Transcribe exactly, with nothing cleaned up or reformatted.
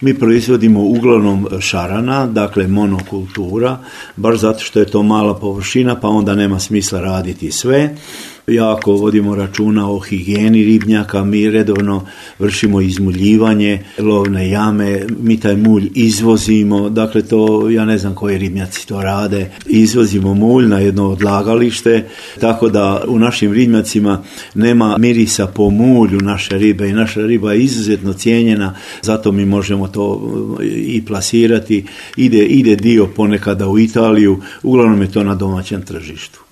Mi proizvodimo uglavnom šarana, dakle monokultura, baš zato što je to mala površina, pa onda nema smisla raditi sve. Jako vodimo računa o higijeni ribnjaka, mi redovno vršimo izmuljivanje, lovne jame, mi taj mulj izvozimo, dakle to, ja ne znam koji ribnjaci to rade, izvozimo mulj na jedno odlagalište, tako da u našim ribnjacima nema mirisa po mulju naše ribe i naša riba je izuzetno cijenjena, zato mi možemo to i plasirati, ide, ide dio ponekada u Italiju, uglavnom je to na domaćem tržištu.